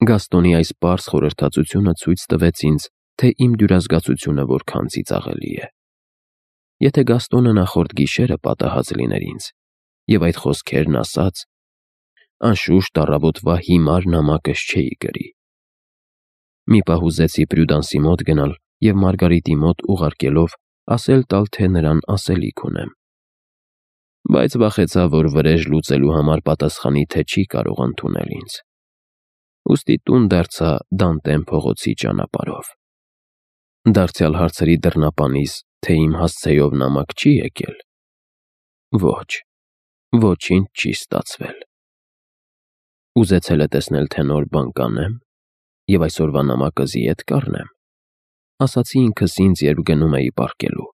Գաստոնի այս պարզ խորհրդածությունը ցույց տվեց ինձ, թե իմ դյուրազգացությունը որքան ծիծաղելի է։ Եթե Գաստոնը նախորդ գիշերը պատահած լիներ ինձ, և այդ խոսքերն ասաց, անշուշտ առավոտվա հիմար նամակս չէի գրի։ Մի պահ ուզեցի Պրյուդանսի մոտ գնալ և Մարգարիտի մոտ ուղարկելով ասել տալ, թե նրան ասելիք ունեմ։ Բայց վախեցա, որ վրեժ լուծելու համար պատասխանի, թե չի կարող ընդունել ինձ։ Ուստի տուն դարձա Դանտեն փողոցի ճանապարհով։ Դարձյալ հարցրի դռնապանից, թե իմ հասցեով նամակ չի եկել։ Ոչ, ոչինչ չի ստացվել։ Ուզեցել է տեսնել, թե նոր բան կանեմ, և այսօրվա նամակը զիետ կառնեմ, ասացի ինքս ինձ, երբ գնում էի պառկելու։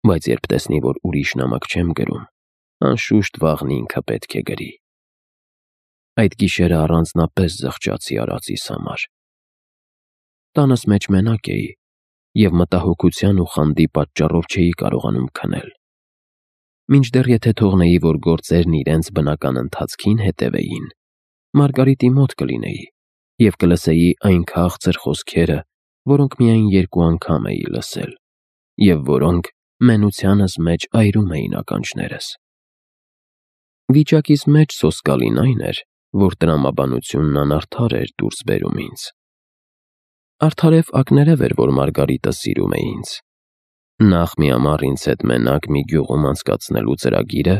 Բայց երբ տեսնի, որ ուրիշ նամակ չեմ գրում, անշուշտ վաղն ինքը պետք է գրի։ Այդ գիշերը առանձնապես զղջացի արածիս համար։ Տանս մեջ մենակ էի, և մտահոգության ու խանդի պատճառով չէի կարողանում քնել։ Մինչդեռ եթե թողնեի, որ գործերն իրենց բնական ընթացքին հետևեին, Մարգարիտի մոտ կլինեի և կլսեի այն քաղցր խոսքերը, որոնք միայն 2 անգամ էի լսել, և որոնք մենությանս մեջ այրում էին ականջներս։ Վիճակիս մեջ սոսկալին այն էր, որ տրամաբանությունն անարդար էր դուրս բերում ինձ։ Արդարև ակներև էր, որ Մարգարիտը սիրում է ինձ։ Նախ միամառ ինձ հետ մենակ մի գյուղում անցկացնելու ծրագիրը,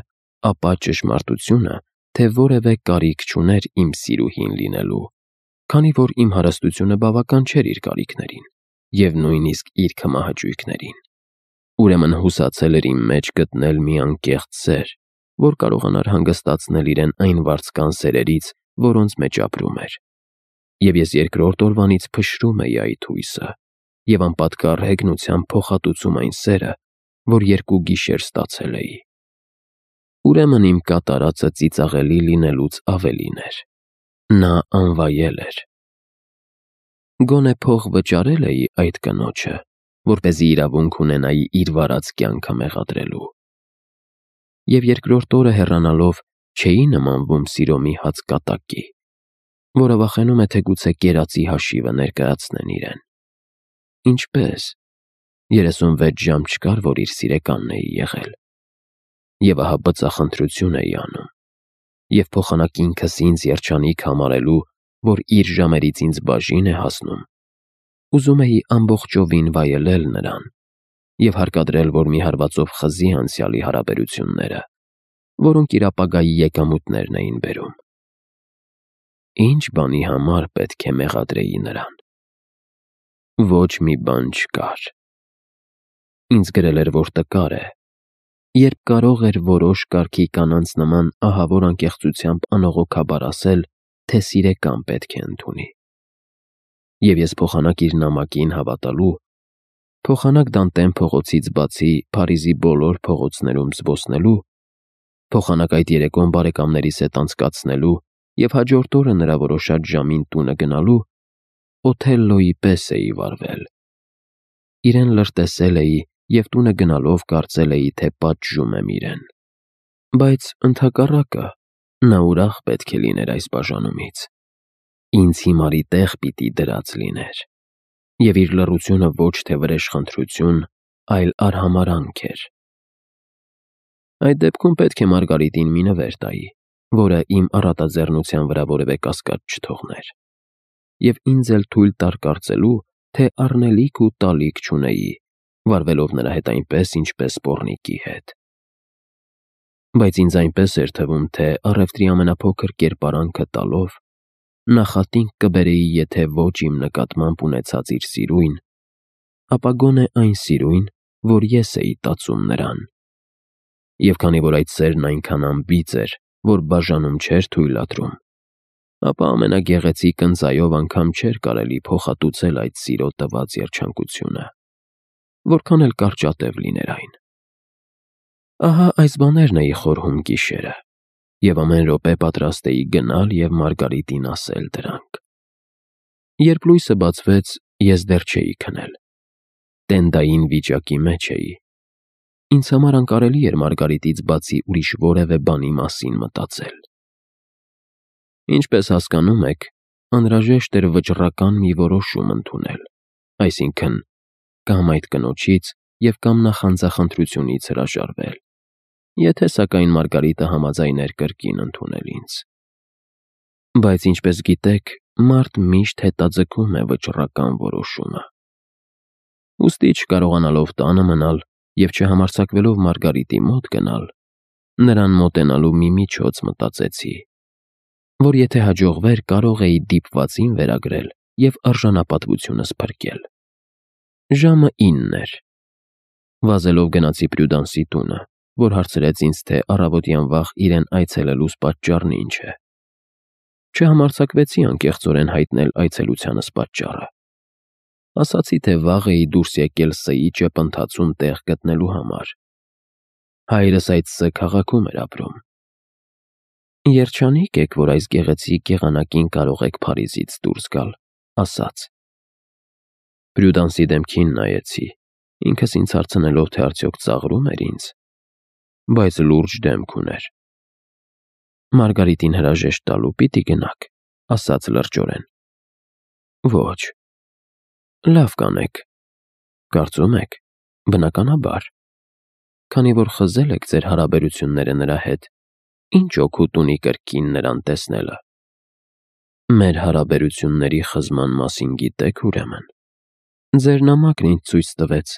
ապա ճշմարտությունը, թե որևէ կարիք չուներ իմ սիրուհին լինելու, քանի որ իմ հարստությունը բավական չէր իր կարիքներին և նույնիսկ իր քմահաճույքներին։ Ուրեմն հուսացել էր իմ մեջ գտնել մի անկեղծ սեր, որ կարողանար հանգստացնել իրեն այն վարձկան սերերից, որոնց մեջ ապրում էր։ Եվ ես երկրորդ օրվանից փշրում էի այդ հույսը և անպատկառ հեգնությամբ փոխհատուցում այն սերը, որ 2 գիշեր ստացել էի։ Ուրեմն իմ կատարածը ծիծաղելի լինելուց ավելին էր։ Նա անվայել էր։ Գոնե փող վճարել էի այդ կնոջը, որպեսզի իրավունք ունենայի իր վարած կյանքը մեղադրելու։ Եվ երկրորդ օրը հեռանալով չէի նմանվում սիրո մի հաց կատակի, որը վախենում է, թե գուցե կերածի հաշիվը ներկայացնեն իրեն։ Ինչպե՞ս։ 36 ժամ չկար, որ իր սիրեկանն էի եղել։ Եվ ահա բծախնդրություն էի անում, և փոխանակ ինքս ինձ երջանիկ համարելու, որ իր ժամերից ինձ բաժին է հասնում, ուզում էի ամբողջովին վայելել նրան և հարկադրել, որ մի հարվածով խզի անցյալի հարաբերությունները, որոնք իր ապագայի եկամուտներն էին բերում։ Ինչ բանի համար պետք է մեղադրեի նրան։ Ոչ մի բան չկար։ Ինձ գրել էր, որ տկար է, երբ կարող էր որոշ կարգի կանանց նման ահավոր անկեղծությամբ անողոքաբար ասել, թե սիրեկան պետք է ընդունի։ Եվ ես փոխանակ իր նամակին հավատալու, փոխանակ Դանտեն փողոցից բացի Փարիզի բոլոր փողոցներում զբոսնելու, փոխանակ այդ երեկոն բարեկամներիս հետ անցկացնելու և հաջորդ օրը նրա որոշած ժամին տունը գնալու, Օթելլոյի պես էի վարվել։ Իրեն լրտեսել էի և տունը գնալով կարծել էի, թե պատժում եմ իրեն։ Բայց ընդհակառակը, նա ուրախ պետք է լիներ այս բաժանումից։ Ինձ հիմարի տեղ պիտի դրած լիներ։ Եվ իր լռությունը ոչ թե վրեժխնդրություն, այլ արհամարհանք էր։ Այդ դեպքում պետք է Մարգարիտին մի նվեր տայի, որը իմ առատաձեռնության վրա որևէ կասկած չթողներ, և ինձ էլ թույլ տար կարծելու, թե առնելիք ու տալիք չունեի, վարվելով նրա հետ այնպես, ինչպես պոռնիկի հետ։ Բայց ինձ այնպես էր թվում, թե առևտրի ամենափոքր կերպարանքը տալով, նախատինք կբերեի եթե ոչ իմ նկատմամբ ունեցած իր սիրույն, ապա գոնե այն սիրույն, որ ես էի տածում նրան։ Եվ քանի որ այդ սերն այնքան անբիծ էր, որ բաժանում չէր թույլատրում, ապա ամենագեղեցիկ ընձայով անգամ չէր կարելի փոխհատուցել այդ սիրո տված երջանկությունը, որքան էլ կարճատև լիներ այն։ Ահա այս բաներն էի խորհում գիշերը, և ամեն րոպե պատրաստ էի գնալ և Մարգարիտին ասել դրանք։ Երբ լույսը բացվեց, ես դեռ չէի քնել։ Տենդային վիճակի մեջ էի։ Ինձ համար անկարելի էր Մարգարիտից բացի ուրիշ որևէ բանի մասին մտածել։ Ինչպես հասկանում եք, անհրաժեշտ էր վճռական մի որոշում ընդունել, այսինքն կամ այդ կնոջից և կամ նախանձախնդրությունից հրաժարվել, եթե սակայն Մարգարիտը համաձայներ կրկին ընդունել ինձ։ Բայց ինչպես գիտեք, մարդ միշտ հետաձգում է վճռական որոշումը։ Ուստի չկարողանալով տանը մնալ և չհամարձակվելով Մարգարիտի մոտ գնալ, նրան մոտենալու մի միջոց մտածեցի, որ եթե հաջողվեր, կարող էի դիպվածին վերագրել և արժանապատվությունս փրկել։ Ժամը 9 էր։ Վազելով գնացի Պրյուդանսի տունը, որ հարցրեց ինձ, թե առավոտյան վաղ իրեն այցելելուս պատճառն ինչ է։ Չհամարձակվեցի անկեղծորեն հայտնել այցելությանս պատճառը։ Ասացի, թե վաղ էի դուրս եկել Ս-ի ճեպընթացում տեղ գտնելու համար։ Հայրս այդ Ս քաղաքում էր ապրում։ Երջանիկ եք, որ այս գեղեցիկ եղանակին կարող եք Փարիզից դուրս գալ, ասաց։ Պրյուդանսի դեմքին նայեցի, ինքս ինձ հարցնելով, թե արդյոք ծաղրում էր ինձ, բայց լուրջ դեմք ուներ։ Մարգարիտին հրաժեշտ տալու պիտի գնաք, ասաց լրջորեն։ Ոչ։ Լավ կանեք։ Կարծում եք, բնականաբար։ Քանի որ խզել եք ձեր հարաբերությունները նրա հետ, ինչ օգուտ ունի կրկին նրան տեսնելը։ Մեր հարաբերությունների խզման մասին գիտեք ուրեմն։ Ձեր նամակն ինձ ցույց տվեց։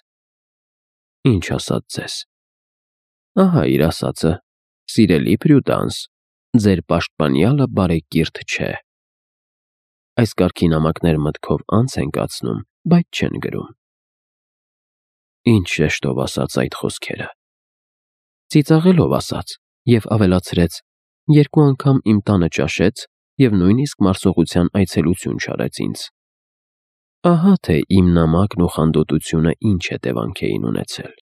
Ինչ ասաց ձեզ։ Ահա իր ասածը, սիրելի Պրյուդանս, ձեր պաշտպանյալը բարեկիրթ չէ։ Այս կարգի նամակներ մտքով անց են կացնում, բայց չեն գրում։ Ինչ շեշտով ասաց այդ խոսքերը։ Ծիծաղելով ասաց և ավելացրեց. երկու անգամ իմ տանը ճաշեց և նույնիսկ մարսողության այցելություն չարեց ինձ։ Ահա թե իմ նամակն ու խանդոտությունը ինչ հետևանք էին ունեցել։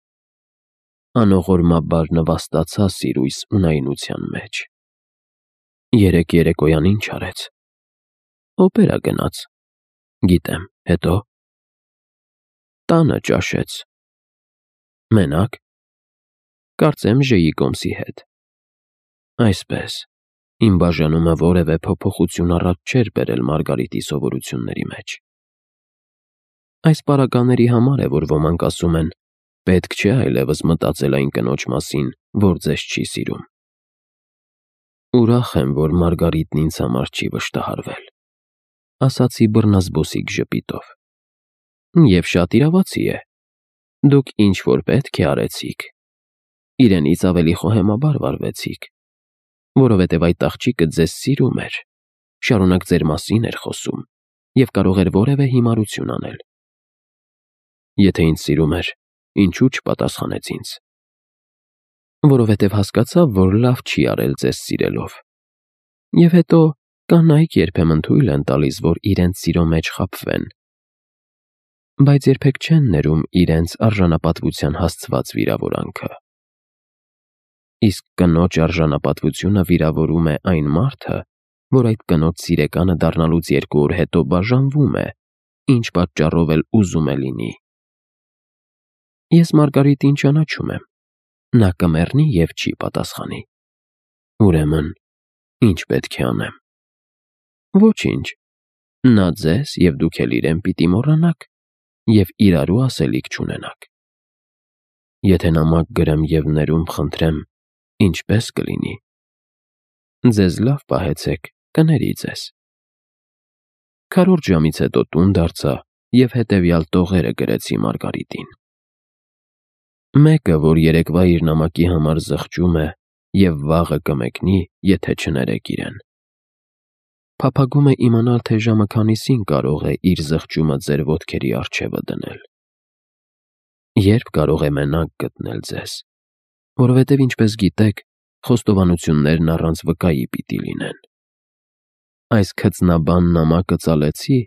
Անողորմաբար նվաստացա սիրույս ունայնության մեջ։ Երեկ երեկոյան ինչ արեց։ Օպերա գնաց։ Գիտեմ, հետո։ Տանը ճաշեց։ Մենակ։ Կարծեմ Ժեի կոմսի հետ։ Այսպես, իմ բաժանումը որևէ փոփոխություն առած չէր բերել Մարգարիտի սովորությունների մեջ։ Այս պարագաների համար է, որ ոմանք ասում են, պետք չէ այլևս մտածել այն կնոջ մասին, որ ձեզ չի սիրում։ Ուրախ եմ, որ Մարգարիտն ինձ համար չի վշտահարվել, ասացի բռնազբոսիկ ժպիտով։ Եվ շատ իրավացի է։ Դուք ինչ որ պետք է արեցիք։ Իրենից ավելի խոհեմաբար վարվեցիք, որովհետև այդ աղջիկը ձեզ սիրում էր, շարունակ ձեր մասին էր խոսում և կարող էր որևէ հիմարություն անել։ Եթե ինձ սիրում էր, ինչու չպատասխանեց ինձ։ Որովհետև հասկացավ, որ լավ չի արել ձեզ սիրելով։ Եվ հետո կանայք երբեմն թույլ են տալիս, որ իրենց սիրո մեջ խաբվեն, բայց երբեք չեն ներում իրենց արժանապատվության հասցված վիրավորանքը։ Իսկ կնոջ արժանապատվությունը վիրավորում է այն մարդը, որ այդ կնոջ սիրեկանը դառնալուց 2 օր հետո բաժանվում է, ինչ պատճառով էլ ուզում է լինի։ Ես Մարգարիտին ճանաչում եմ։ Նա կմեռնի և չի պատասխանի։ Ուրեմն, ինչ պետք է անեմ։ Ոչինչ։ Նա ձեզ և դուք էլ իրեն պիտի մոռանաք և իրարու ասելիք չունենաք։ Եթե նամակ գրեմ և ներում խնդրեմ, ինչպես կլինի։ Ձեզ լավ պահեցեք, կների ձեզ։ Քառորդ ժամից հետո տուն դարձա և հետևյալ տողերը գրեցի Մարգարիտին։ Մեկը, որ երեկվա իր նամակի համար զղջում է և վաղը կմեկնի, եթե չներեք իրեն։ Փափագում է իմանալ, թե ժամը քանիսին կարող է իր զղջումը ձեր ոտքերի առջևը դնել։ Երբ կարող է մենակ գտնել ձեզ, որովհետև ինչպես գիտեք, խոստովանություններն առանց վկայի պիտի լինեն։ Այս քծնաբան նամակը ծալեցի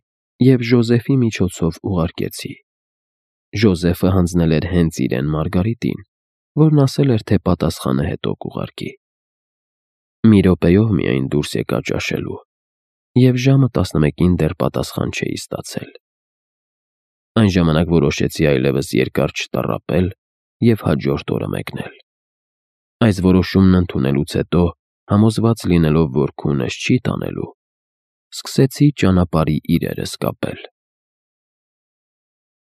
և Ժոզեֆի միջոցով ուղարկեցի։ Ժոզեֆը հանձնել էր հենց իրեն Մարգարիտին, որն ասել էր, թե պատասխանը հետո կուղարկի։ Մի րոպեով միայն դուրս եկա ճաշելու, և ժամը 11-ին դեռ պատասխան չէի ստացել։ Այն ժամանակ որոշեցի այլևս երկար չտառապել և հաջորդ օրը մեկնել։ Այս որոշումն ընդունելուց հետո, համոզված լինելով, որ քունս չի տանելու, սկսեցի ճանապարհի իրերս կապել։